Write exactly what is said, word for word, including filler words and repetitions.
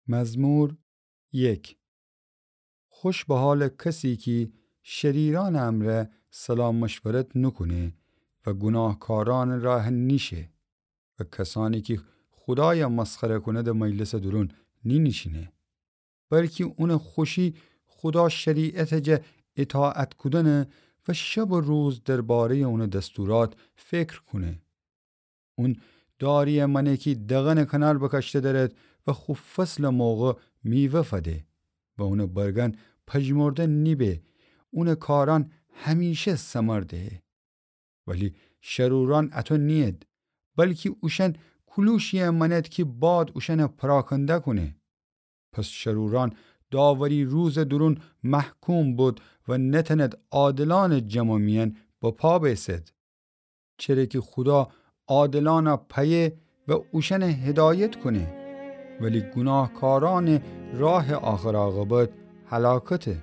مزمور یک. خوش به حالٚ کسی کی شریرأنٚ امرأ صلاح مشورت نوکونه و گوناهکارأنٚ راه نیشه و کسأنی کی خودای مسخره کونده مجلسٚ دورون نینیشینه، بلکی اونٚ خوشی خودا شریعتٚ جا اطاعت کودنه و شب و روز درباره‌یٚ اونٚ دستورات فکر کونه. اون داریی مأنه کی دغنٚ کنار بکاشته دأرد و خو فصلٚ موقع میوه فده و اونٚ برگأن پژمرده نیبه، اونٚ کارأن همیشه ثمر دهه. ولی شرورأن اطو نیید، بلکی اوشأن کولوشیی مأند کی باد اوشأن پراکنده کونه. پس شرورأن داوری روزٚ دورون محکوم بید و نتأند عادلأنٚ جمع میأن بپا بیسد. چره کی خودا عادلأن پیه و اوشأن هدایت کونه، ولی گوناهکارأنٚ راهٚ آخر عاقبت هلاکته.